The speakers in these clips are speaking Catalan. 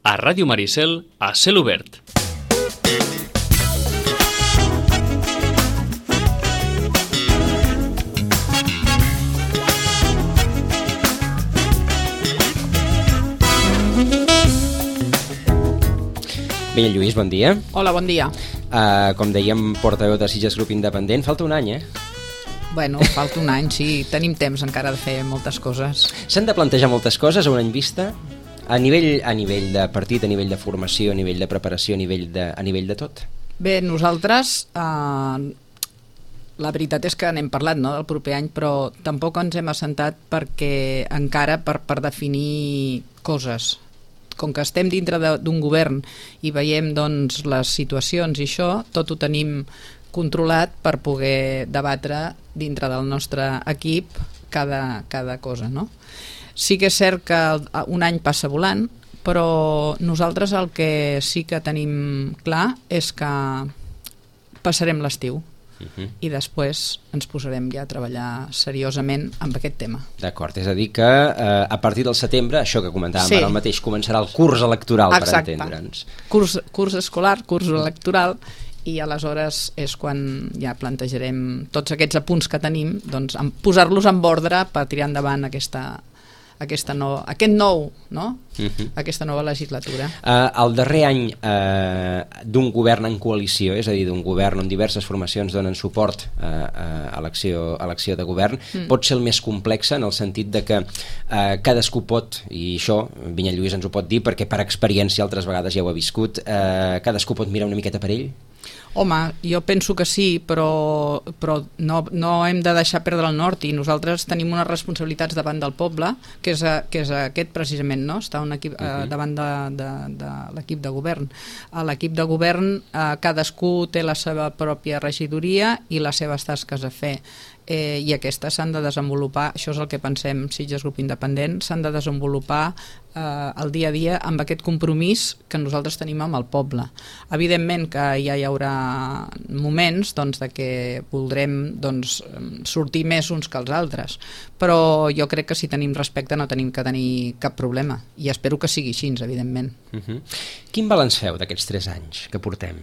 A Ràdio Maricel, a cel obert. Bé, Lluís, bon dia. Hola, bon dia. Com dèiem, portaveu de Sitges Grup Independent. Falta un any, Bueno, falta un any, sí. Tenim temps encara de fer moltes coses. S'han de plantejar moltes coses a un any vista? A nivell de partit, a nivell de formació, a nivell de preparació, a nivell de tot? Bé, nosaltres, la veritat és que n'hem parlat, no?, del proper any, però tampoc ens hem assentat perquè encara per definir coses. Com que estem dintre d'un govern i veiem, doncs, les situacions i això, tot ho tenim controlat per poder debatre dintre del nostre equip cada cosa, no? Sí que és cert que un any passa volant, però nosaltres el que sí que tenim clar és que passarem l'estiu i després ens posarem ja a treballar seriosament amb aquest tema. D'acord, és a dir que a partir del setembre, això que comentàvem ara mateix, començarà el curs electoral. Exacte. Per entendre'ns. Curs escolar, curs electoral, i aleshores és quan ja plantejarem tots aquests apunts que tenim, doncs, posar-los en ordre per tirar endavant aquesta nova legislatura. El darrer any d'un govern en coalició, és a dir, d'un govern on diverses formacions donen suport a l'acció de govern, pot ser el més complex en el sentit de que cadascú pot, i això Vinyet Lluís ens ho pot dir perquè per experiència altres vegades ja ho ha viscut, cadascú pot mirar una miqueta per ell? Home, jo penso que sí, però no hem de deixar perdre el nord, i nosaltres tenim unes responsabilitats davant del poble, que és aquest precisament, no? Estar davant de l'equip de govern. A l'equip de govern cadascú té la seva pròpia regidoria i les seves tasques a fer. I aquestes s'han de desenvolupar, això és el que pensem Sitges Grup Independent, s'han de desenvolupar el dia a dia amb aquest compromís que nosaltres tenim amb el poble. Evidentment que ja hi haurà moments, doncs, de que voldrem, doncs, sortir més uns que els altres, però jo crec que si tenim respecte no tenim que tenir cap problema, i espero que sigui així, evidentment. Quin balanç feu d'aquests 3 anys que portem?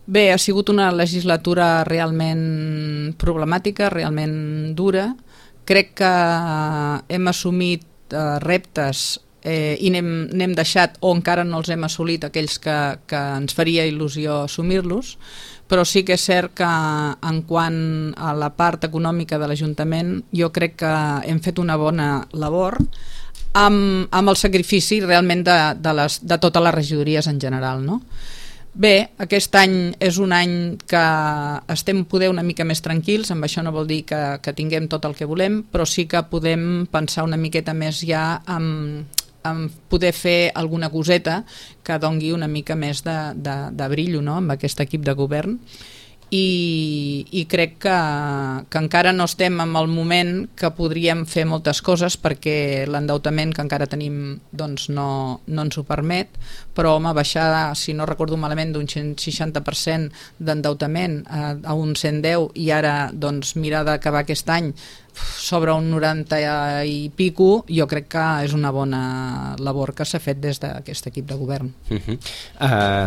Bé, ha sigut una legislatura realment problemàtica, realment dura. Crec que hem assumit reptes i n'hem deixat, o encara no els hem assolit, aquells que ens faria il·lusió assumir-los, però sí que és cert que en quant a la part econòmica de l'Ajuntament jo crec que hem fet una bona labor amb el sacrifici realment de totes les regidories en general, no? Bé, aquest any és un any que estem poder una mica més tranquils, amb això no vol dir que tinguem tot el que volem, però sí que podem pensar una miqueta més ja en poder fer alguna coseta que dongui una mica més de brillo, no?, amb aquest equip de govern. I crec que encara no estem en el moment que podríem fer moltes coses perquè l'endeutament que encara tenim, doncs, no ens ho permet, però home, baixar, si no recordo malament, d'un 160% d'endeutament a un 110 i ara, doncs, mirar d'acabar aquest any sobre un 90 i pico, jo crec que és una bona labor que s'ha fet des d'aquest equip de govern.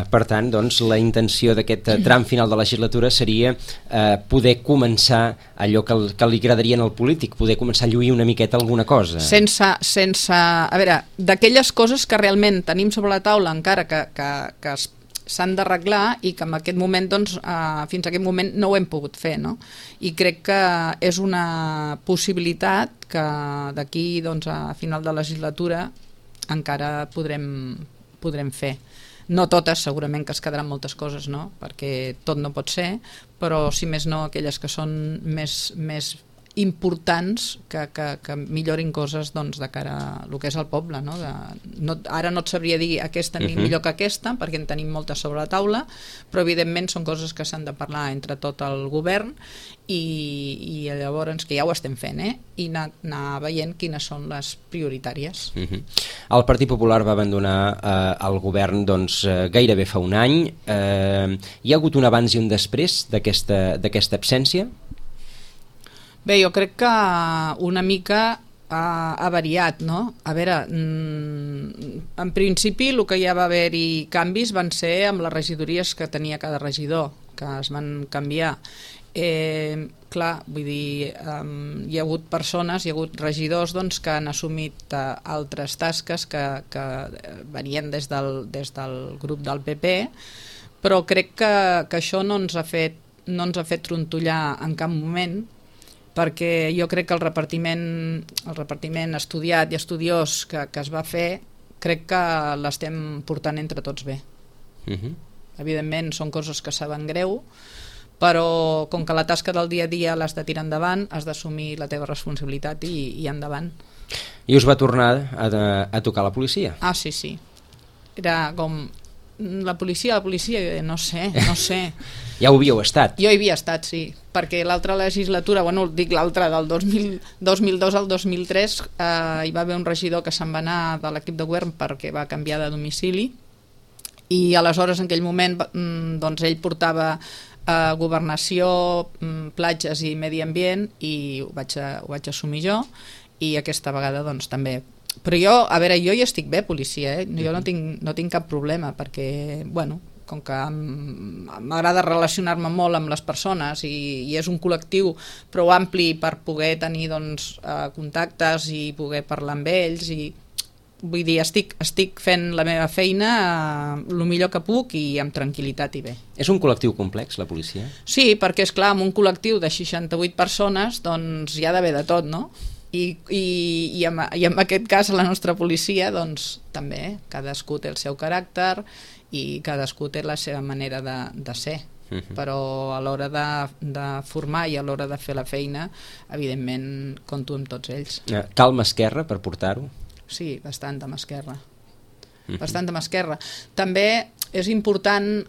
Per tant, doncs, la intenció d'aquest tram final de la legislatura seria poder començar allò que li agradaria al polític, poder començar a lluir una miqueta alguna cosa. A veure, d'aquelles coses que realment tenim sobre la taula encara que s'han d'arreglar i que en aquest moment, doncs, fins a aquest moment no ho hem pogut fer, no? I crec que és una possibilitat que d'aquí, doncs, a final de legislatura encara podrem fer. No totes, segurament que es quedaran moltes coses, no?, perquè tot no pot ser, però si més no aquelles que són més importants que millorin coses, doncs, de cara a el que és el poble, no? Ara no et sabria dir aquesta ni millor que aquesta perquè en tenim moltes sobre la taula, però evidentment són coses que s'han de parlar entre tot el govern i llavors, que ja ho estem fent, i anar veient quines són les prioritàries. El Partit Popular va abandonar el govern, doncs, gairebé fa un any. Hi ha hagut un abans i un després d'aquesta absència? Bé, jo crec que una mica ha variat, no? A veure, en principi el que ja va haver-hi canvis van ser amb les regidories que tenia cada regidor, que es van canviar. Clar, vull dir, hi ha hagut persones, hi ha hagut regidors doncs, que han assumit altres tasques que venien des del grup del PP, però crec que això no ens ha fet trontollar en cap moment, perquè jo crec que el repartiment estudiat i estudiós que es va fer, crec que l'estem portant entre tots bé. Evidentment són coses que saben greu, però com que la tasca del dia a dia l'has de tirar endavant, has d'assumir la teva responsabilitat i endavant. I us va tornar a tocar la policia? Ah, sí. Era com... La policia, no sé. Ja ho havíeu estat? Jo hi havia estat, sí, perquè l'altra legislatura, dic l'altra, del 2002 al 2003, hi va haver un regidor que se'n va anar de l'equip de govern perquè va canviar de domicili, i aleshores en aquell moment doncs ell portava governació, platges i medi ambient, i ho vaig assumir jo, i aquesta vegada doncs també. Però jo hi estic bé, policia, jo no tinc cap problema, perquè, com que m'agrada relacionar-me molt amb les persones i és un col·lectiu prou ampli per poder tenir contactes i poder parlar amb ells, i vull dir, estic fent la meva feina el millor que puc i amb tranquil·litat i bé. És un col·lectiu complex, la policia? Sí, perquè és clar, en un col·lectiu de 68 persones doncs hi ha d'haver de tot, no? I en aquest cas la nostra policia doncs també, cadascú té el seu caràcter i cadascú té la seva manera de ser, però a l'hora de formar i a l'hora de fer la feina evidentment compto amb tots ells. Cal mà esquerra per portar-ho? Sí, bastant amb esquerra. Bastant amb esquerra. També és important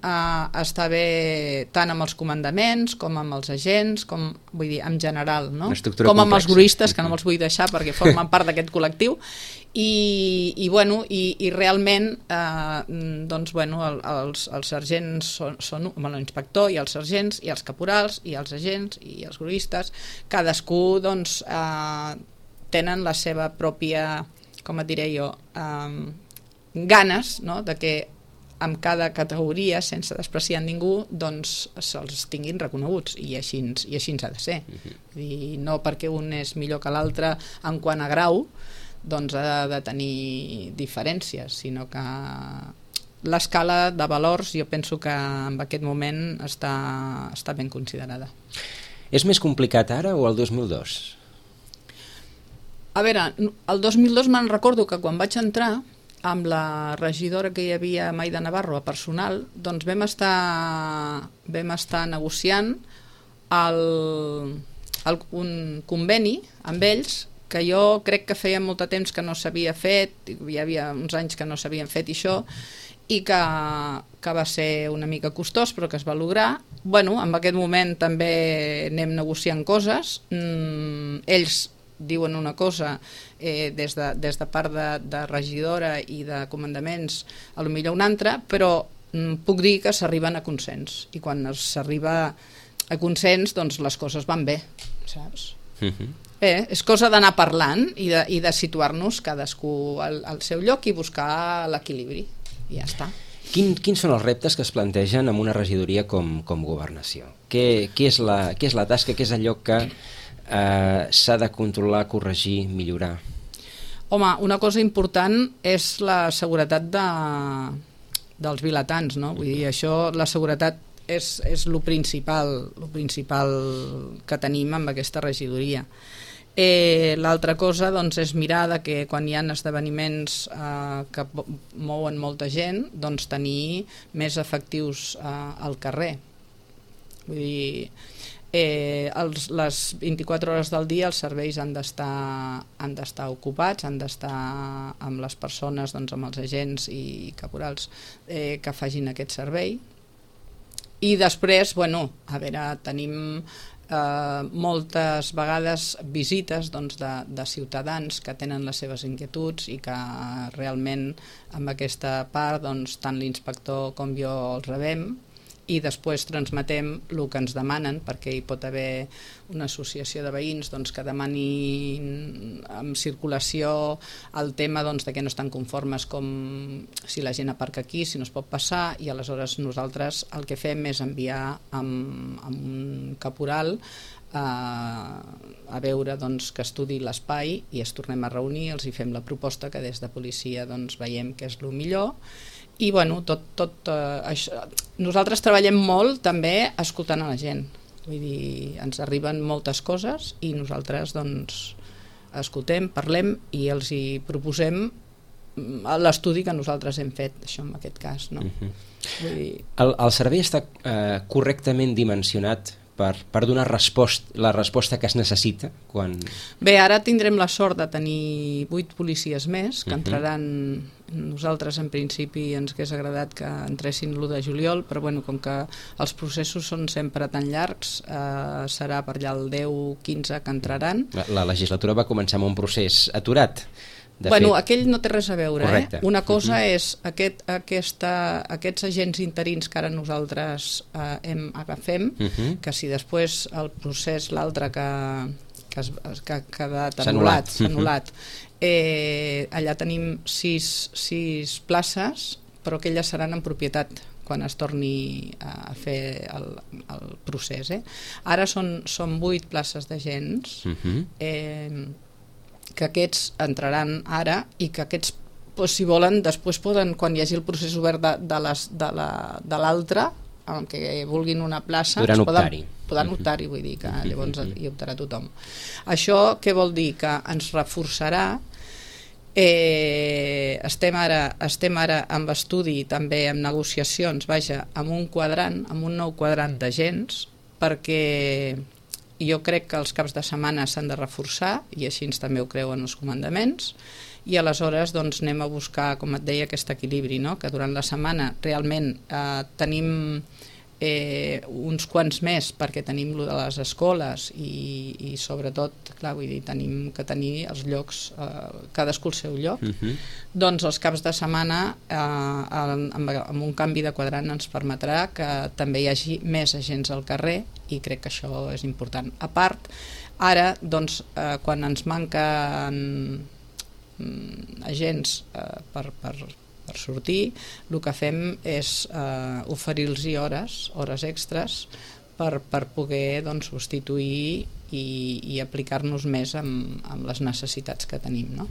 estar bé tant amb els comandaments com amb els agents, vull dir, en general, no? Com amb els gruistes, que no me'ls vull deixar perquè formen part d'aquest col·lectiu, i realment els sergents són l'inspector i els sergents i els caporals i els agents i els gruistes, cadascú doncs tenen la seva pròpia, com et diré jo, ganes, no?, de que amb cada categoria, sense despreciar ningú, doncs se'ls tinguin reconeguts, i així ha de ser. I no perquè un és millor que l'altre en quant a grau, doncs ha de tenir diferències, sinó que l'escala de valors jo penso que en aquest moment està ben considerada. És més complicat ara o el 2002? A veure, el 2002 me'n recordo que quan vaig entrar amb la regidora que hi havia, Maida Navarro, a personal, doncs vam estar negociant un conveni amb ells que jo crec que feia molt de temps que no s'havia fet, hi havia uns anys que no s'havien fet això, i que va ser una mica costós però que es va lograr. En aquest moment també anem negociant coses, ells diuen una cosa des de part de regidora i de comandaments, a lo millor una altra, però puc dir que s'arriben a consens, i quan s'arriba a consens doncs les coses van bé, saps? És cosa d'anar parlant i de situar-nos cadascú al seu lloc i buscar l'equilibri, i ja està. Quins són els reptes que es plantegen en una regidoria com governació? Què és la tasca, què és allò que s'ha de controlar, corregir, millorar? Home, una cosa important és la seguretat dels vilatans, no? Vull dir, això, la seguretat és el principal que tenim amb aquesta regidoria. L'altra cosa doncs, és mirar que quan hi ha esdeveniments que mouen molta gent, doncs tenir més efectius al carrer. Vull dir, les 24 hores del dia els serveis han d'estar ocupats, han d'estar amb les persones, doncs, amb els agents i caporals que facin aquest servei. I després, tenim moltes vegades visites de ciutadans que tenen les seves inquietuds i que realment amb aquesta part tant l'inspector com jo els rebem i després transmetem el que ens demanen, perquè hi pot haver una associació de veïns doncs, que demanin en circulació el tema doncs, de que no estan conformes com si la gent aparca aquí, si no es pot passar, i aleshores nosaltres el que fem és enviar amb un caporal a veure doncs, que estudi l'espai i es tornem a reunir, els hi fem la proposta que des de policia doncs, veiem que és el millor. I bueno, això. Nosaltres treballem molt també escoltant a la gent, vull dir, ens arriben moltes coses i nosaltres doncs, escoltem, parlem i els hi proposem l'estudi que nosaltres hem fet, això en aquest cas, no? Vull dir... El servei està correctament dimensionat per donar la resposta que es necessita? Bé, ara tindrem la sort de tenir 8 policies més que entraran. Nosaltres en principi ens hagués agradat que entressin l'1 de juliol, però bueno, com que els processos són sempre tan llargs, serà per allà el 10-15 que entraran. La legislatura va començar amb un procés aturat. Bueno, aquell no té res a veure. Una cosa és aquests agents interins que ara nosaltres agafem, que si després el procés, l'altre que ha quedat anul·lat, allà tenim 6 places, però que elles seran en propietat quan es torni a fer el procés. Ara són 8 places d'agents, que aquests entraran ara i que aquests, si volen, després poden, quan hi hagi el procés obert de l'altre, en què vulguin una plaça, poden optar-hi, vull dir que llavors hi optarà tothom. Això què vol dir? Que ens reforçarà. Estem ara amb estudi, també amb negociacions, amb un nou quadrant d'agents, perquè jo crec que els caps de setmana s'han de reforçar, i així també ho creuen els comandaments, i aleshores doncs, anem a buscar, com et deia, aquest equilibri, no? Que durant la setmana realment tenim uns quants més, perquè tenim lo de les escoles i sobretot, clar, vull dir, tenim que tenir els llocs, cadascú el seu lloc. Doncs els caps de setmana amb un canvi de quadrant ens permetrà que també hi hagi més agents al carrer, i crec que això és important. A part, ara, doncs, quan ens manquen agents per sortir, el que fem és oferir-los hores extres per poder substituir i aplicar-nos més amb les necessitats que tenim, no?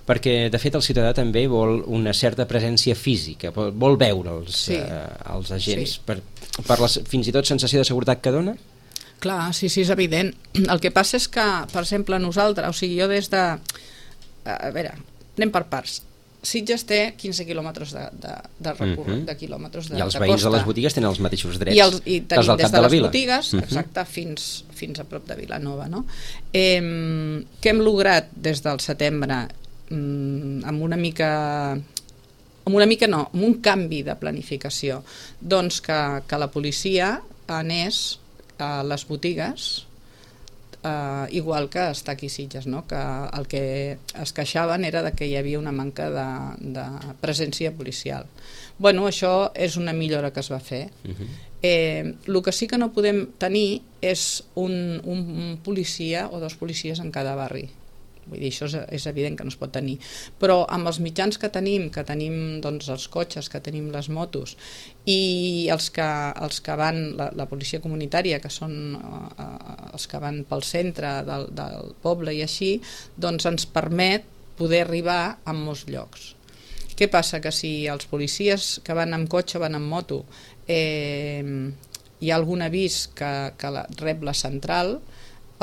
Perquè de fet el ciutadà també vol una certa presència física, vol veure els agents, per la fins i tot sensació de seguretat que dona? Clar, sí, és evident. El que passa és que, per exemple, nosaltres, o sigui, jo des de... A veure, anem per parts. Sitges té 15 quilòmetres de recorregut, de quilòmetres de costa. I els veïns de les botigues tenen els mateixos drets i tenim des de les botigues, exacte, fins a prop de Vilanova, no? Què hem lograt des del setembre? Amb un canvi de planificació, doncs que la policia anés a les botigues, igual que està aquí a Sitges, no? Que el que es queixaven era que hi havia una manca de presència policial. Bueno, això és una millora que es va fer. El que sí que no podem tenir és un policia o 2 policies en cada barri. Vull dir, això és evident que no es pot tenir, però amb els mitjans que tenim doncs, els cotxes, que tenim les motos, i els que van, la policia comunitària, que són els que van pel centre del poble i així, doncs ens permet poder arribar a molts llocs. Què passa? Que si els policies que van amb cotxe, van amb moto, hi ha algun avís que rep la central,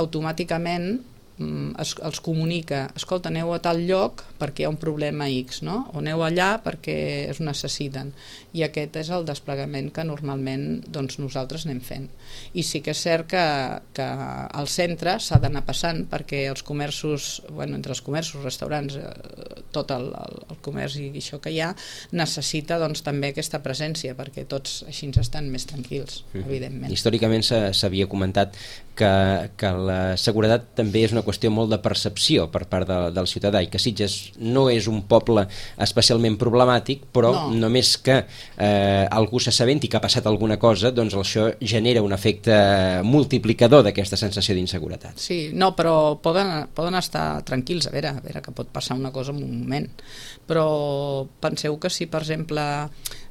automàticament els comunica, escolta, aneu a tal lloc perquè hi ha un problema X, no? O aneu allà perquè es necessiten, i aquest és el desplegament que normalment doncs, nosaltres anem fent. I sí que és cert que al centre s'ha d'anar passant, perquè els comerços, entre els comerços, restaurants, tot el comerç i això que hi ha, necessita doncs, també aquesta presència, perquè tots així estan més tranquils, evidentment. Històricament s'havia comentat que la seguretat també és una qüestió molt de percepció per part del ciutadà, i que Sitges no és un poble especialment problemàtic, però només que algú s'assabenti que ha passat alguna cosa, doncs això genera un efecte multiplicador d'aquesta sensació d'inseguretat. Sí, no, però poden estar tranquils, a veure que pot passar una cosa en un moment, però penseu que si, per exemple,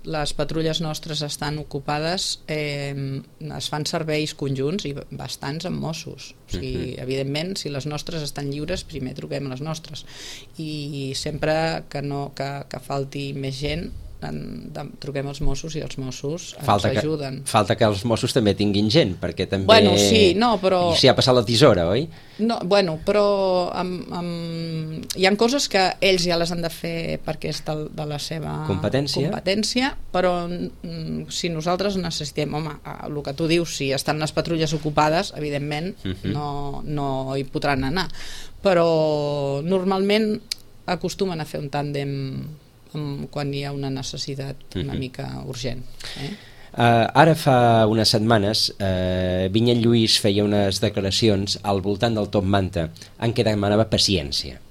les patrulles nostres estan ocupades, es fan serveis conjunts i bastants amb Mossos. O sigui, evidentment, si les nostres estan lliures, primer truquem a les nostres, i sempre que falti més gent, truquem els Mossos i els Mossos ens ajuden. Falta que els Mossos també tinguin gent, perquè també... Bueno, sí, no, però... S'hi ha passat la tisora, oi? No, bueno, però hi ha coses que ells ja les han de fer perquè és de la seva competència, però si nosaltres necessitem, home, el que tu dius, si estan les patrulles ocupades, evidentment no hi podran anar, però normalment acostumen a fer un tàndem quan hi ha una necessitat una mica urgent. Ara fa unes setmanes Vinyet Lluís feia unes declaracions al voltant del Top Manta en què demanava paciència.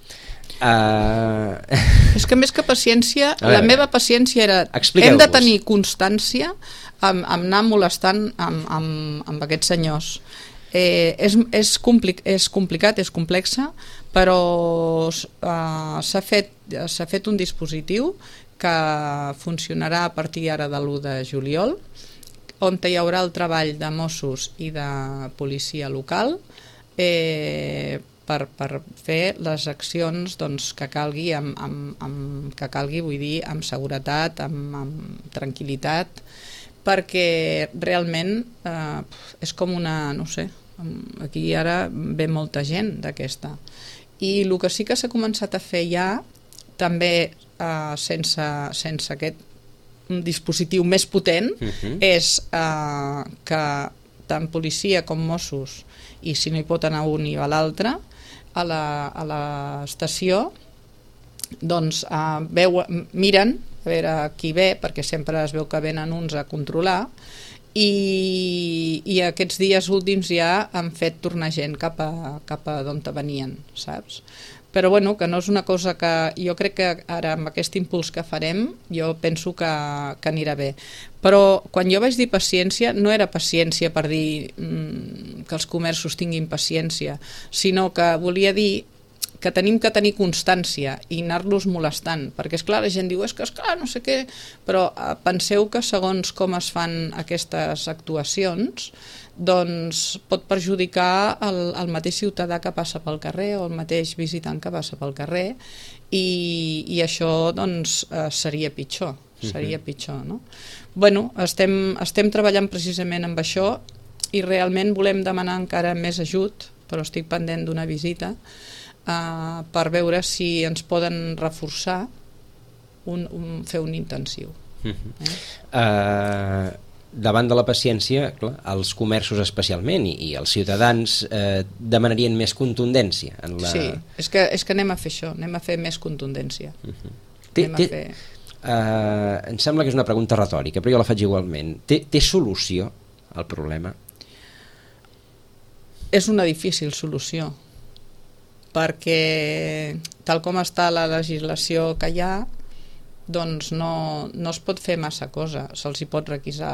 És que més que paciència, la meva paciència era hem de tenir constància amb anar molestant amb aquests senyors. És complicat, és complexa, però s'ha fet un dispositiu que funcionarà a partir ara de l'1 de juliol, on hi haurà el treball de Mossos i de policia local per fer les accions que calgui, vull dir, amb seguretat, amb tranquil·litat, perquè realment és com una, no sé, aquí ara ve molta gent d'aquesta, i el que sí que s'ha començat a fer ja, també sense aquest dispositiu més potent, és que tant policia com Mossos, i si no hi pot anar un i va l'altre, a l'estació doncs miren a veure qui ve, perquè sempre es veu que venen uns a controlar, i aquests dies últims ja han fet tornar gent cap a d'on venien, saps? Però bueno, que no és una cosa que jo crec que ara amb aquest impuls que farem jo penso que anirà bé, però quan jo vaig dir paciència no era paciència per dir que els comerços tinguin paciència, sinó que volia dir que tenim que tenir constància i anar-los molestant, perquè esclar, la gent diu esclar, no sé què, però penseu que segons com es fan aquestes actuacions, doncs pot perjudicar el mateix ciutadà que passa pel carrer o el mateix visitant que passa pel carrer, i això doncs seria pitjor, no? Bueno, estem treballant precisament amb això i realment volem demanar encara més ajut, però estic pendent d'una visita per veure si ens poden reforçar fer un intensiu. Davant de la paciència, clar, els comerços especialment i els ciutadans demanarien més contundència en la... Sí, és que anem a fer això, anem a fer més contundència. Em sembla que és una pregunta retòrica, però jo la faig igualment. Té solució el problema? És una difícil solució, perquè tal com està la legislació que hi ha, doncs no es pot fer massa cosa. Se'ls hi pot requisar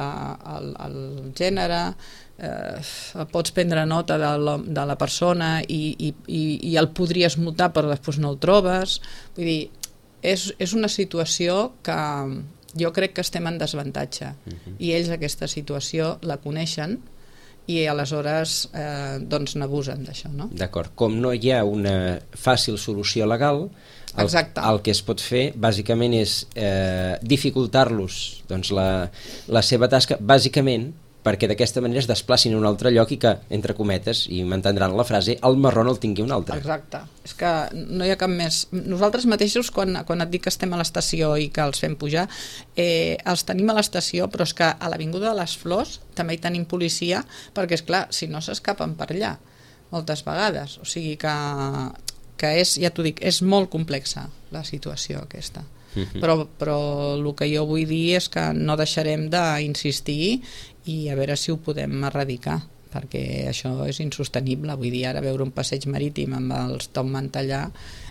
el gènere, pots prendre nota de la persona i el podries multar però després no el trobes. Vull dir, és una situació que jo crec que estem en desavantatge i ells aquesta situació la coneixen i aleshores doncs n'abusen d'això, no? D'acord, com no hi ha una fàcil solució legal, el que es pot fer bàsicament és dificultar-los doncs, la seva tasca, bàsicament perquè d'aquesta manera es desplacin a un altre lloc i que, entre cometes, i m'entendran la frase, el marró no el tingui un altre. Exacte, és que no hi ha cap més. Nosaltres mateixos, quan et dic que estem a l'estació i que els fem pujar, els tenim a l'estació, però és que a l'Avinguda de les Flors també hi tenim policia, perquè és clar, si no s'escapen per allà moltes vegades, o sigui que és, ja t'ho dic, és molt complexa la situació aquesta. Però el que jo vull dir és que no deixarem d'insistir i a veure si ho podem erradicar, perquè això és insostenible. Vull dir, ara veure un passeig marítim amb els top manta allà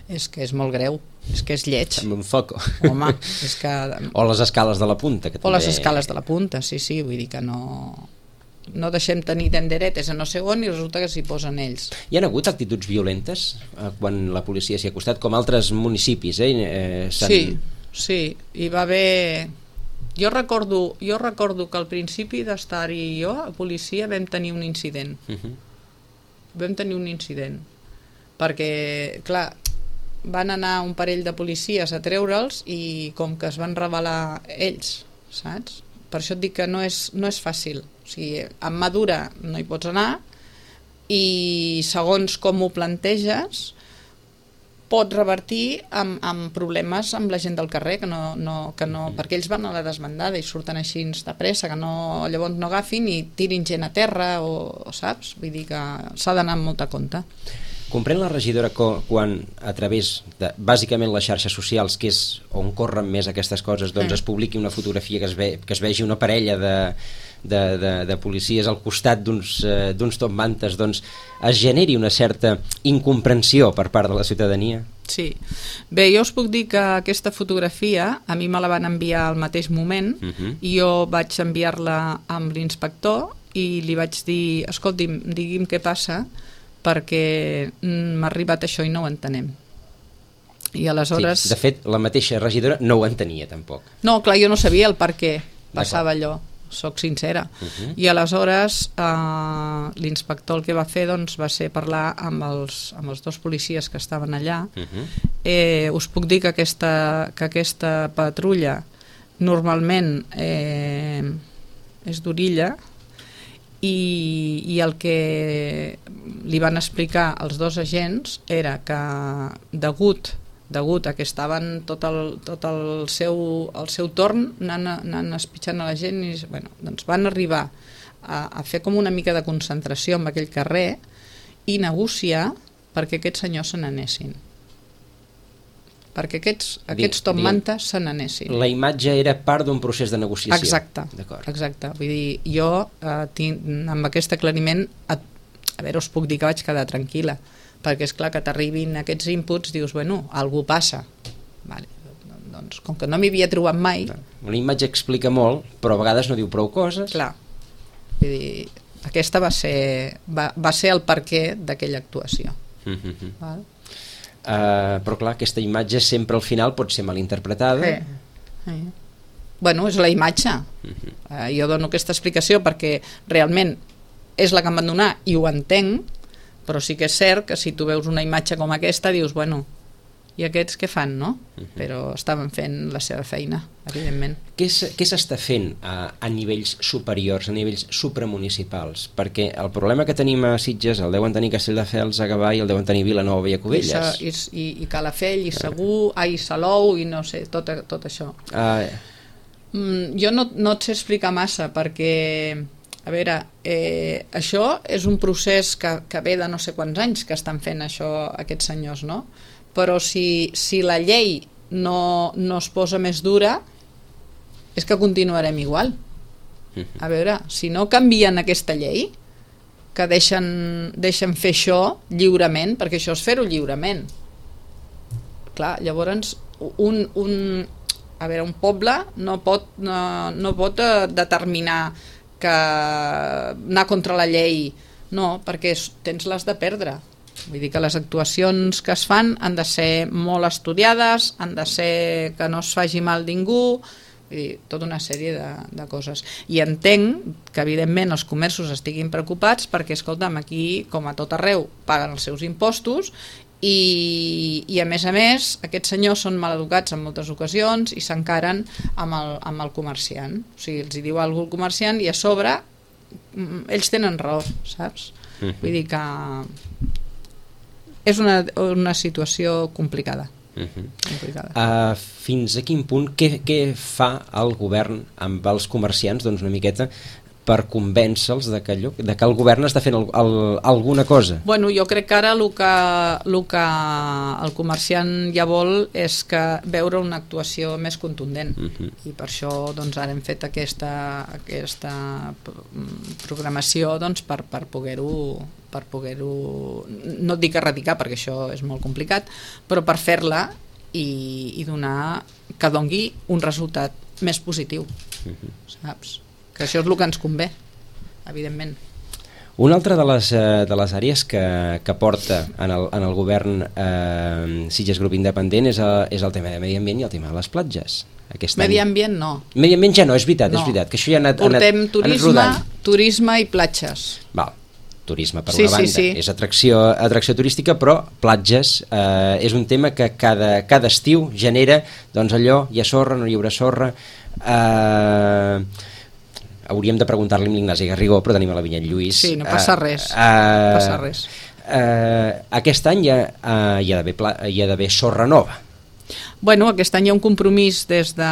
és que és molt greu, és que és lleig. Amb un foco. Home, és que... O les escales de la punta. Que o també... les escales de la punta, sí, vull dir que no deixem tenir tenderetes a no sé on i resulta que s'hi posen ells. Hi ha hagut actituds violentes quan la policia s'hi ha acostat, com altres municipis, Sí, hi va haver... Jo recordo que al principi d'estar-hi jo, a policia, vam tenir un incident. Vam tenir un incident. Perquè, clar, van anar un parell de policies a treure'ls i com que es van rebel·lar ells, saps? Per això et dic que no és fàcil. O sigui, amb mà dura no hi pots anar i segons com ho planteges pot revertir amb problemes amb la gent del carrer, que no, perquè ells van a la desbandada i surten així de pressa, que llavors no agafin i tirin gent a terra, o saps? Vull dir que s'ha d'anar amb molta compte. Comprèn la regidora quan a través de, bàsicament, les xarxes socials, que és on corren més aquestes coses, doncs es publiqui una fotografia que es vegi una parella de policies al costat d'uns top mantes, doncs es generi una certa incomprensió per part de la ciutadania? Sí. Bé, jo us puc dir que aquesta fotografia a mi me la van enviar al mateix moment i jo vaig enviar-la amb l'inspector i li vaig dir, escolti'm, digui'm què passa perquè m'ha arribat això i no ho entenem. I aleshores... Sí, de fet, la mateixa regidora no ho entenia tampoc. No, clar, jo no sabia el per què passava allò, soc sincera. I aleshores l'inspector el que va fer doncs, va ser parlar amb els dos policies que estaven allà. Us puc dir que aquesta patrulla normalment és d'orilla i el que li van explicar els dos agents era que degut a que estaven tot el seu torn anant espitxant a la gent i, doncs van arribar a fer com una mica de concentració en aquell carrer i negociar perquè aquests senyors se n'anessin, perquè aquests top mantes se n'anessin. La imatge era part d'un procés de negociació. Exacte. Vull dir, jo amb aquest aclariment a veure, us puc dir que vaig quedar tranquil·la, perquè és clar que t'arribin aquests inputs, dius, bueno, algú passa. Vale. Doncs com que no m'hi havia trobat mai... Una imatge explica molt, però a vegades no diu prou coses. Clar. Vull dir, aquesta va ser el perquè d'aquella actuació. Val? Però clar, aquesta imatge sempre al final pot ser malinterpretada. Bueno, és la imatge. Jo dono aquesta explicació perquè realment és la que em van donar i ho entenc, però sí que és cert que si tu veus una imatge com aquesta dius, bueno, i aquests què fan, no? Però estaven fent la seva feina, evidentment. Què s'està fent a nivells superiors, a nivells supramunicipals? Perquè el problema que tenim a Sitges el deuen tenir Castelldefels, a Gavà, i el deuen tenir Vilanova i a Cubelles. I Calafell, i Segur, i Salou, i no sé, tot això. Jo no et sé explicar massa, perquè... A veure, això és un procés que ve de no sé quants anys que estan fent això aquests senyors, no? Però si la llei no es posa més dura, és que continuarem igual. A veure, si no canvien aquesta llei, que deixen fer això lliurement, perquè això és fer-ho lliurement. Clar, llavors un poble no pot determinar que anar contra la llei, no, perquè tens les de perdre. Vull dir que les actuacions que es fan han de ser molt estudiades, han de ser que no es faci mal ningú, vull dir, tota una sèrie de coses. I entenc que evidentment els comerços estiguin preocupats perquè, escolta'm, aquí, com a tot arreu, paguen els seus impostos i a més, aquests senyors són maleducats en moltes ocasions i s'encaren amb el comerciant. O sigui, els hi diu alguna cosa al comerciant i a sobre ells tenen raó, saps? Vull dir que és una situació complicada. Fins a quin punt, què fa el govern amb els comerciants, doncs una miqueta, per convèncer-los de que el govern està fent alguna cosa? Bueno, jo crec que ara el que el comerciant ja vol és que veure una actuació més contundent, i per això doncs, ara hem fet aquesta programació doncs, per poder-ho, no et dic erradicar perquè això és molt complicat, però per fer-la i donar que dongui un resultat més positiu, saps? Que això és el que ens convé, evidentment. Una altra de les àrees que porta en el govern Sitges Grup Independent és el tema de medi ambient i el tema de les platges. Medi ambient no. Medi ambient ja no, és veritat, és veritat, que això ja ha anat portem rodant. Turisme i platges. Val, turisme per una banda, és atracció turística, però platges és un tema que cada estiu genera, doncs allò, hi ha sorra, no hi haurà sorra. Hauríem de preguntar-li a l'Ignasi Garrigó, però tenim a la Vinyet Lluís. Sí, no passa res. No passa res. Aquest any hi ha d'haver sorra nova. Bueno, aquest any hi ha un compromís des de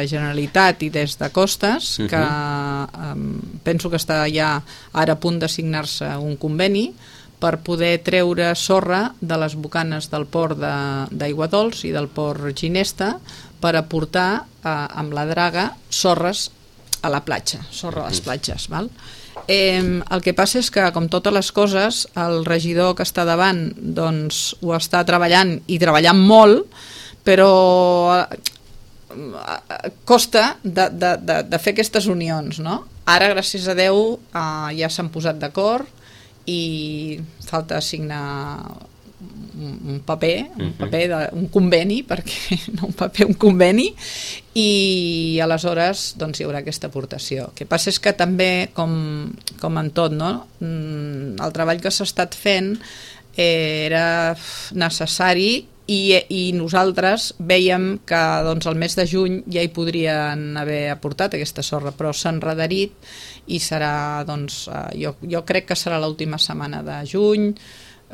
Generalitat i des de Costes, que penso que està ja ara a punt de signar-se un conveni per poder treure sorra de les bocanes del port d'Aiguadols i del port Ginesta per aportar amb la draga sorres a la platja, sorra a les platges, val? El que passa és que, com totes les coses, el regidor que està davant doncs, ho està treballant i treballant molt, però costa de fer aquestes unions, no? Ara, gràcies a Déu, ja s'han posat d'acord i falta signar un paper, un conveni, perquè no un paper, un conveni, i aleshores doncs, hi haurà aquesta aportació. El que passa és que també, com en tot, no? El treball que s'ha estat fent era necessari i nosaltres vèiem que doncs, el mes de juny ja hi podrien haver aportat aquesta sorra, però s'ha enredarit i serà, doncs, jo crec que serà l'última setmana de juny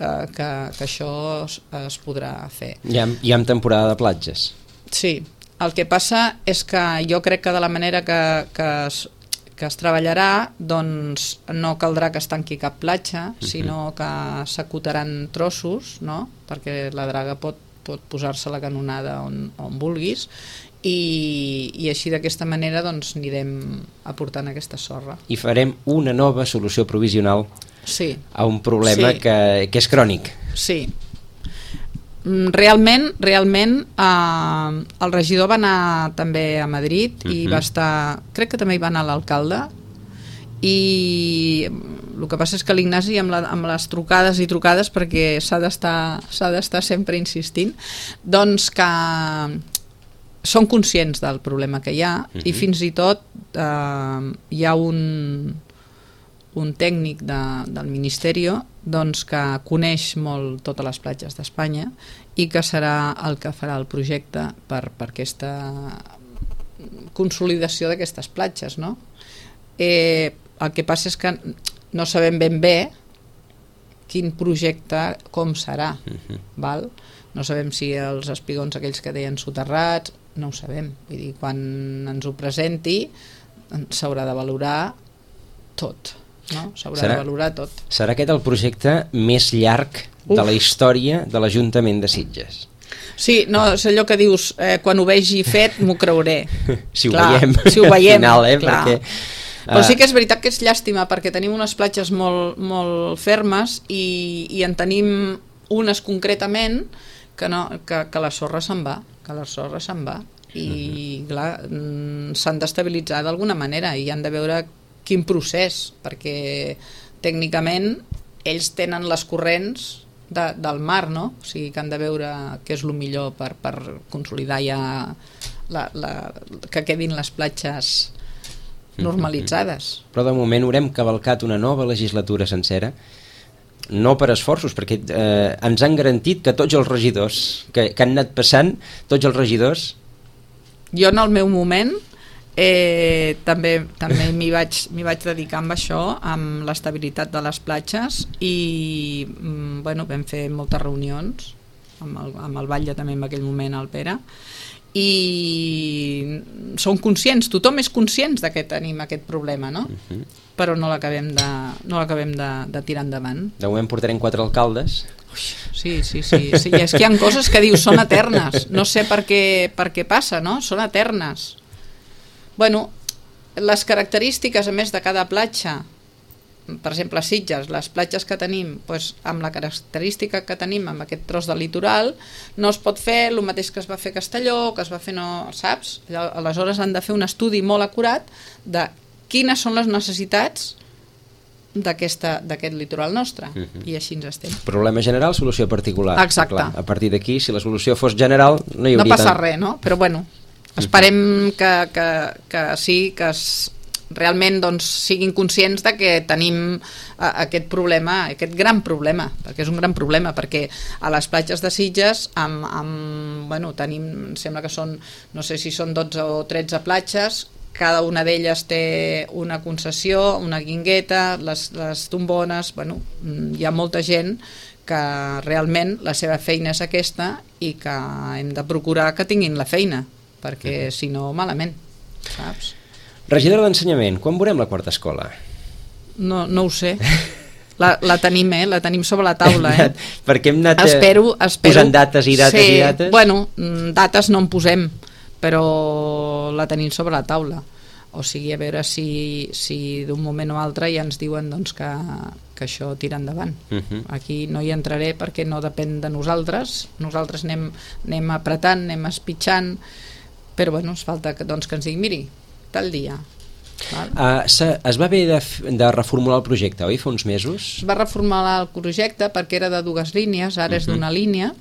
que això es podrà fer. Ja en temporada de platges. Sí, el que passa és que jo crec que de la manera que es treballarà, doncs no caldrà que es tanqui cap platja, sinó que s'acotaran trossos, no? Perquè la draga pot posar-se la canonada on vulguis, i així d'aquesta manera doncs anirem aportant aquesta sorra. I farem una nova solució provisional a un problema que és crònic. Sí. Realment el regidor va anar també a Madrid i va estar, crec que també hi va anar l'alcalde, i el que passa és que l'Ignasi amb les trucades i trucades, perquè s'ha d'estar sempre insistint, doncs que són conscients del problema que hi ha, i fins i tot hi ha un tècnic del Ministeri doncs, que coneix molt totes les platges d'Espanya i que serà el que farà el projecte per aquesta consolidació d'aquestes platges, no? El que passa és que no sabem ben bé quin projecte com serà, val? No sabem si els espigons aquells que deien soterrats, no ho sabem, vull dir, quan ens ho presenti s'haurà de valorar tot, no? S'haurà de valorar tot. Serà aquest el projecte més llarg de la història de l'Ajuntament de Sitges? Sí, no, és allò que dius, quan ho vegi fet m'ho creuré. Si ho veiem al final, perquè... Però sí que és veritat que és llàstima, perquè tenim unes platges molt, molt fermes i en tenim unes concretament que la sorra se'n va, i clar, s'han d'estabilitzar d'alguna manera i han de veure quin procés, perquè tècnicament ells tenen les corrents del mar, no? O sigui que han de veure què és el millor per consolidar ja que quedin les platges normalitzades. Però de moment haurem cavalcat una nova legislatura sencera, no per esforços, perquè ens han garantit que tots els regidors que han anat passant, tots els regidors... Jo en el meu moment també m'hi vaig dedicar amb això, amb l'estabilitat de les platges, i bueno, vam fer moltes reunions amb el batlle també en aquell moment, el Pere, i som conscients, tothom és conscient que tenim aquest problema, no? Però no l'acabem de tirar endavant. De moment portarem 4 alcaldes. Sí, és que hi ha coses que dius són eternes, no sé per què passa, no? Són eternes. Bueno, les característiques a més de cada platja, per exemple a Sitges, les platges que tenim, doncs, amb la característica que tenim amb aquest tros de litoral, no es pot fer el mateix que es va fer a Castelló, que es va fer saps? Aleshores han de fer un estudi molt acurat de quines són les necessitats d'aquest litoral nostre, i així ens estem. Problema general, solució particular. Exacte. Clar, a partir d'aquí, si la solució fos general, no hi hauria passa res, no? Però bueno, esperem que sí, que realment doncs, siguin conscients de que tenim aquest problema, aquest gran problema, perquè és un gran problema, perquè a les platges de Sitges tenim, em sembla que són, no sé si són 12 o 13 platges, cada una d'elles té una concessió, una guingueta, les tombones, hi ha molta gent que realment la seva feina és aquesta i que hem de procurar que tinguin la feina, perquè si no, malament, saps? Regidora d'Ensenyament, quan veurem la quarta escola? No ho sé. La tenim sobre la taula, Perquè hem anat espero posant dates i dates i dates. Bueno, dates no en posem, però la tenim sobre la taula. O sigui, a veure si d'un moment o altre ja ens diuen doncs, que això tira endavant. Aquí no hi entraré perquè no depèn de nosaltres. Nosaltres anem apretant, anem espitxant, però bueno, es falta que ens diguin, miri, tal dia. Es va haver de reformular el projecte, oi? Fa uns mesos? Es va reformular el projecte perquè era de 2 línies, ara és d'una línia,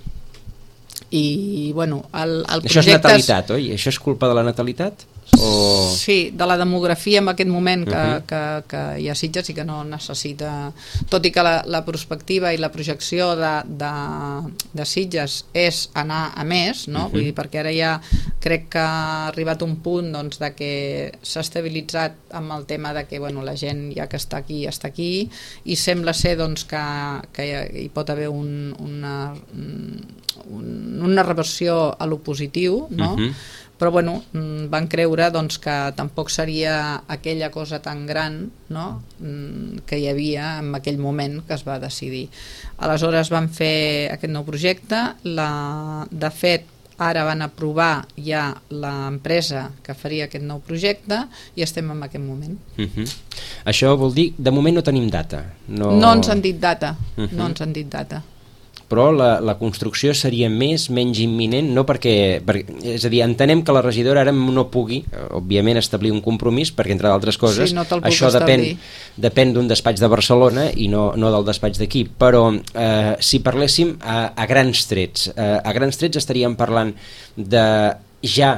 i bueno, el projecte... Això és natalitat, oi? Això és culpa de la natalitat? Sí, de la demografia en aquest moment que hi ha Sitges i que no necessita, tot i que la perspectiva i la projecció de Sitges és anar a més, no? Vull dir, perquè ara ja crec que ha arribat un punt doncs, de que s'ha estabilitzat amb el tema de que la gent ja que està aquí i sembla ser doncs, que hi pot haver una reversió a lo positiu, no? Però van creure doncs, que tampoc seria aquella cosa tan gran, no? Que hi havia en aquell moment que es va decidir. Aleshores van fer aquest nou projecte, de fet ara van aprovar ja l'empresa que faria aquest nou projecte i estem en aquest moment. Això vol dir, de moment no tenim data. No ens han dit data, no ens han dit data. Però la construcció seria menys imminent, no perquè, és a dir, entenem que la regidora ara no pugui, òbviament, establir un compromís, perquè entre d'altres coses, això depèn d'un despatx de Barcelona i no del despatx d'aquí, però si parléssim a grans trets estaríem parlant de ja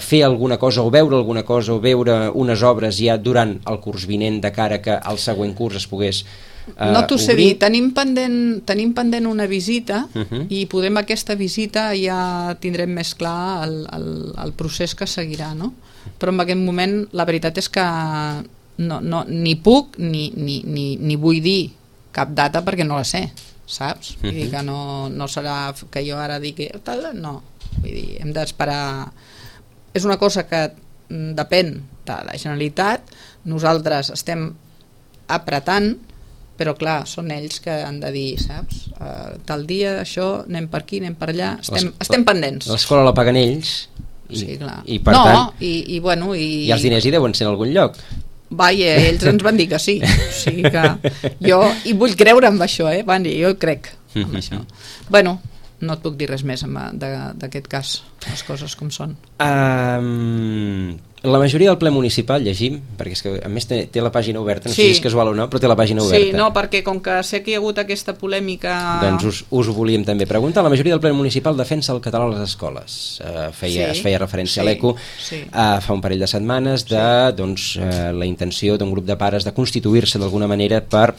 fer alguna cosa o veure alguna cosa o veure unes obres ja durant el curs vinent de cara que el següent curs es pogués no t'ho sé dir, tenim pendent una visita i podem aquesta visita ja tindrem més clar el procés que seguirà, no? Però en aquest moment la veritat és que ni puc ni vull dir cap data perquè no la sé, saps? Vull dir que no serà que jo ara digui no, vull dir, hem d'esperar. És una cosa que depèn de la Generalitat, nosaltres estem apretant, però clar, són ells que han de dir, saps? Tal dia, això, anem per aquí, anem per allà, estem pendents. L'escola la paguen ells sí, clar. I per tant i els diners hi deuen ser en algun lloc. Vaja, ells ens van dir que sí, o sigui que jo hi vull creure amb això, jo crec amb això. Bueno, no et puc dir res més d'aquest cas, les coses com són. La majoria del ple municipal llegim, perquè és que a més té la pàgina oberta, no sé si és casual o no, però té la pàgina oberta. Sí, no, perquè com que sé que hi ha hagut aquesta polèmica... Doncs us ho volíem també preguntar. La majoria del ple municipal defensa el català a les escoles. Es feia referència a l'ECO fa un parell de setmanes de la intenció d'un grup de pares de constituir-se d'alguna manera per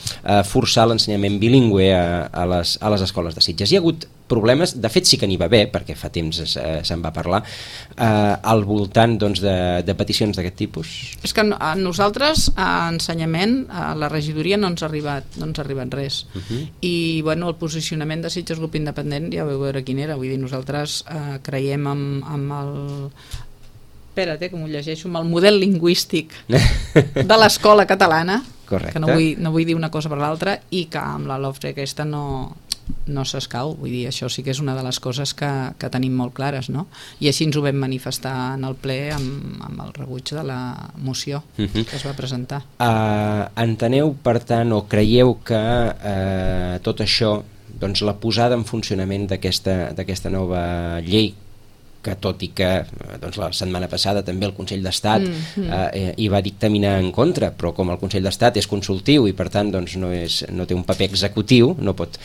forçar l'ensenyament bilingüe a les escoles de Sitges. Hi ha hagut problemes, de fet sí que n'hi va haver, perquè fa temps se'n va parlar, al voltant de peticions d'aquest tipus. És que a nosaltres, a ensenyament, a la regidoria no ens ha arribat res. I bueno, el posicionament de Sitges Grup Independent ja vau veure quin era, vull dir, nosaltres creiem amb espera't, que m'ho llegeixo, amb el model lingüístic de l'escola catalana, correcte, que no vull dir una cosa per l'altra, i que amb la LOFTE aquesta no s'escau. Vull dir, això sí que és una de les coses que tenim molt clares, no? I així ens ho vam manifestar en el ple amb el rebuig de la moció que es va presentar. Enteneu, per tant, o creieu que tot això, doncs la posada en funcionament d'aquesta nova llei, que tot i que doncs, la setmana passada també el Consell d'Estat hi va dictaminar en contra, però com el Consell d'Estat és consultiu i per tant doncs, no té un paper executiu, no pot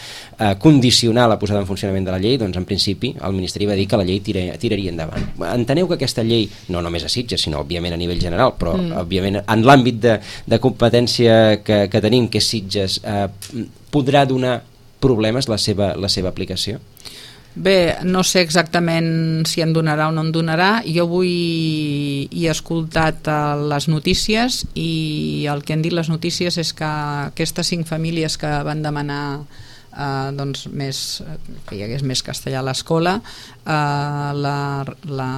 condicionar la posada en funcionament de la llei, doncs en principi el Ministeri va dir que la llei tiraria endavant. Enteneu que aquesta llei, no només a Sitges, sinó òbviament a nivell general, però òbviament en l'àmbit de competència que tenim, que és Sitges, podrà donar problemes la seva aplicació? Bé, no sé exactament si en donarà o no en donarà. Jo avui he escoltat les notícies i el que han dit les notícies és que aquestes 5 famílies que van demanar doncs que hi hagués més castellà a l'escola, la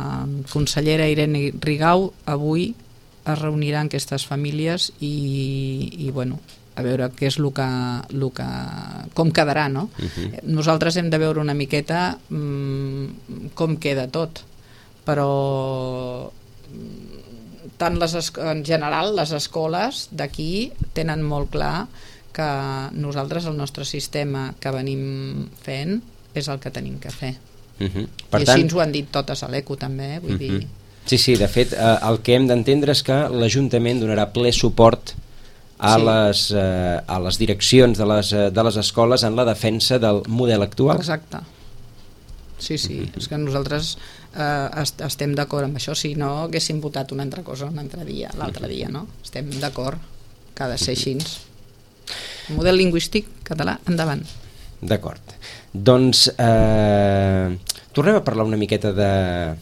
consellera Irene Rigau avui es reunirà amb aquestes famílies i bueno, a veure què és com quedarà, no? Nosaltres hem de veure una miqueta com queda tot, però en general les escoles d'aquí tenen molt clar que nosaltres el nostre sistema que venim fent és el que tenim que fer. I així ens ho han dit totes a l'ECO també, vull dir... Sí, de fet el que hem d'entendre és que l'Ajuntament donarà ple suport a les direccions de les escoles en la defensa del model actual. Exacte. Sí, és que nosaltres estem d'acord amb això, si no haguéssim votat una altra cosa l'altre dia, no? Estem d'acord que ha de ser així. Model lingüístic català, endavant. D'acord. Doncs tornem a parlar una miqueta de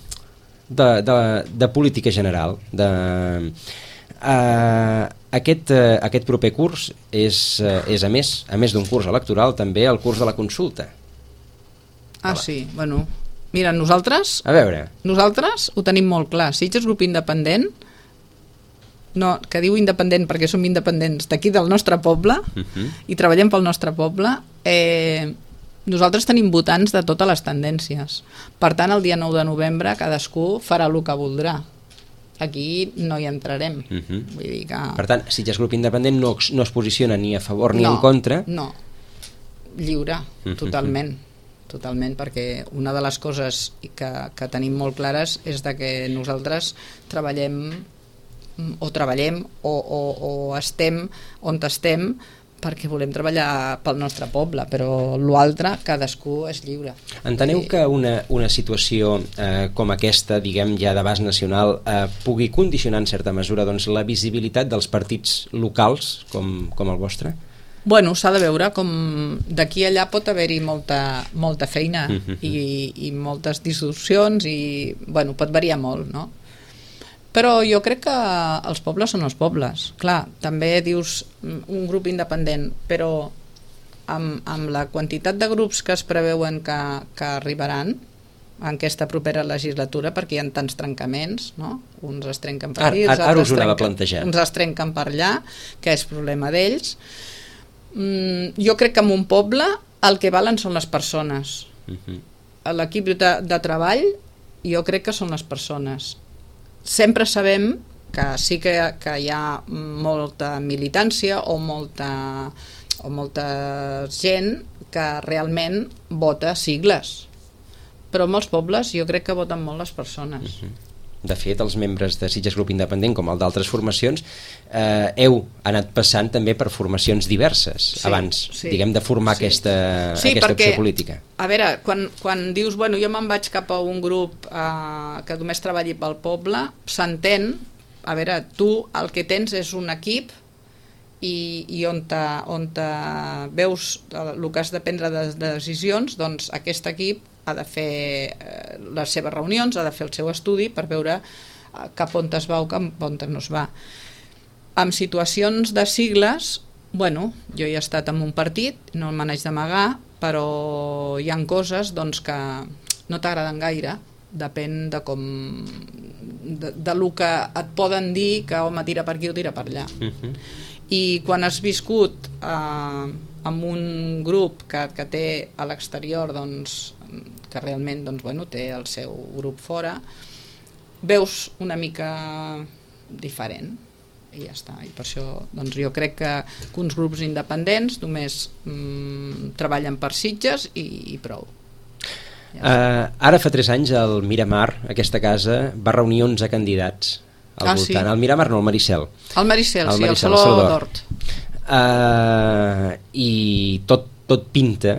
política general, aquest proper curs és a més d'un curs electoral també el curs de la consulta. Sí, bueno, mira, nosaltres ho tenim molt clar. Sitges Grup Independent, que diu independent perquè som independents d'aquí del nostre poble i treballem pel nostre poble, nosaltres tenim votants de totes les tendències. Per tant, el dia 9 de novembre cadascú farà el que voldrà. Aquí no hi entrarem. Vull dir que... Per tant, Sitges Grup Independent no es posiciona ni a favor ni en contra? No, lliure, totalment, perquè una de les coses que tenim molt clares és que nosaltres treballem o estem on estem perquè volem treballar pel nostre poble, però l'altre cadascú és lliure. Enteneu que una situació com aquesta, diguem ja d'abast nacional, pugui condicionar en certa mesura doncs, la visibilitat dels partits locals com el vostre? Bueno, s'ha de veure com d'aquí a allà pot haver-hi molta feina i moltes distorsions i bueno, pot variar molt, no? Però jo crec que els pobles són els pobles. Clar, també dius un grup independent, però amb la quantitat de grups que es preveuen que arribaran en aquesta propera legislatura, perquè hi ha tants trencaments, no? Uns es trenquen per aquí, uns es trenquen per allà, que és problema d'ells. Jo crec que en un poble el que valen són les persones. L'equip de treball jo crec que són les persones. Sempre sabem que sí que hi ha molta militància o molta gent que realment vota sigles, però en molts pobles jo crec que voten molt les persones. De fet, els membres de Sitges Grup Independent, com el d'altres formacions, heu anat passant també per formacions diverses abans, diguem, de formar aquesta opció política. A veure, quan dius, bueno, jo me'n vaig cap a un grup que només treballi pel poble, s'entén, a veure, tu el que tens és un equip i on veus el que has de prendre de decisions, doncs aquest equip ha de fer les seves reunions, ha de fer el seu estudi per veure cap on es va o cap on no es va. En situacions de sigles, bueno, jo he estat en un partit, no me n'haig d'amagar, però hi ha coses doncs, que no t'agraden gaire depèn de com de lo que et poden dir que home tira per aquí o tira per allà. I quan has viscut amb un grup que té a l'exterior, doncs, que realment doncs, bueno, té el seu grup fora, veus una mica diferent i ja està. I per això doncs, jo crec que uns grups independents només treballen per Sitges i prou. Ara fa 3 anys el Miramar, aquesta casa, va reunir 11 candidats al voltant. Sí. El Miramar no, el Maricel. El Maricel, sí, el Saló d'Hort. I tot pinta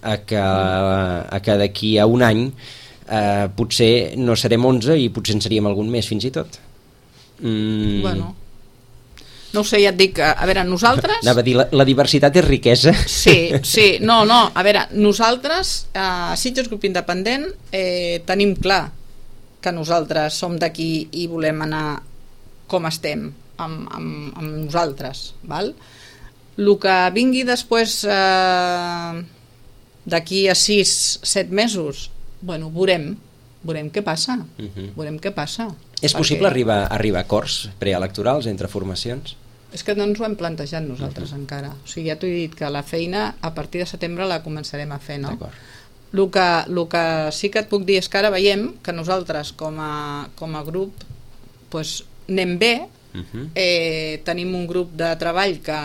a que d'aquí a un any potser no serem 11 i potser en seríem algun més fins i tot. Bueno, no ho sé, ja et dic, a veure, nosaltres... Anava a dir, la diversitat és riquesa. Sí, no, a veure, nosaltres, a Sitges Grup Independent, tenim clar que nosaltres som d'aquí i volem anar com estem, amb nosaltres, val? El que vingui després d'aquí a 6-7 mesos, bueno, veurem què passa. Veurem què passa. És possible arribar a acords preelectorals entre formacions? És que no ens ho hem plantejat nosaltres encara. O sigui, ja t'ho he dit que la feina a partir de setembre la començarem a fer, no? D'acord. El que sí que et puc dir és que ara veiem que nosaltres com a grup pues, anem bé, tenim un grup de treball que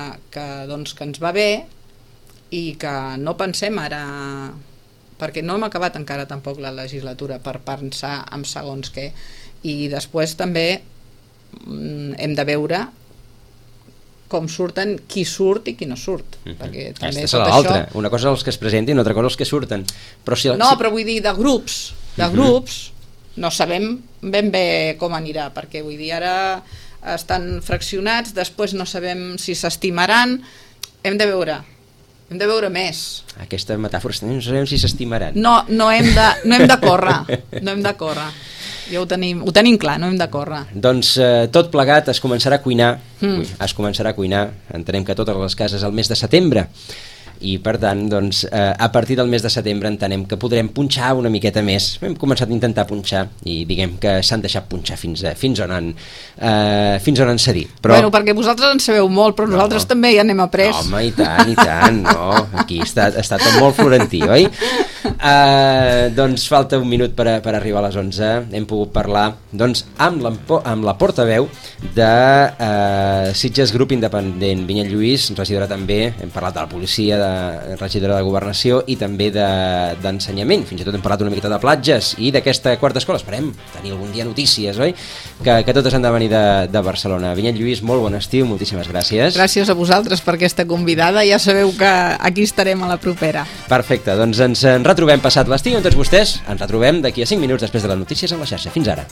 ens va bé i que no pensem ara, perquè no hem acabat encara tampoc la legislatura per pensar en segons què, i després també hem de veure com surten, qui surt i qui no surt. Perquè també aquesta és l'altra. Una cosa els que es presentin, una altra cosa els que surten. Però vull dir, de grups no sabem ben bé com anirà, perquè vull dir, ara estan fraccionats, després no sabem si s'estimaran, hem de veure més. Aquesta metàfora, no sabem si s'estimaran. No hem de córrer. Ja ho tenim clar, no hem de córrer. Doncs tot plegat es començarà a cuinar. Entenem que totes les cases al mes de setembre, i per tant doncs, a partir del mes de setembre entenem que podrem punxar una miqueta més. Hem començat a intentar punxar i diguem que s'han deixat punxar fins on han cedit. Bueno, perquè vosaltres en sabeu molt, però nosaltres també ja n'hem après. Home, i tant, no. Aquí està tot molt florentí, oi? Doncs falta un minut per arribar a les 11. Hem pogut parlar doncs, amb la portaveu de Sitges Grup Independent, Vinyet Lluís, regidora també. Hem parlat de la policia, regidora de Governació i també d'ensenyament. Fins i tot hem parlat una miqueta de platges i d'aquesta quarta escola. Esperem tenir algun dia notícies, oi? Que totes han de venir de Barcelona. Vinyet Lluís, molt bon estiu, moltíssimes gràcies. Gràcies a vosaltres per aquesta convidada. Ja sabeu que aquí estarem a la propera. Perfecte, doncs ens retrobem passat l'estiu amb tots vostès. Ens retrobem d'aquí a 5 minuts després de les notícies en la xarxa. Fins ara.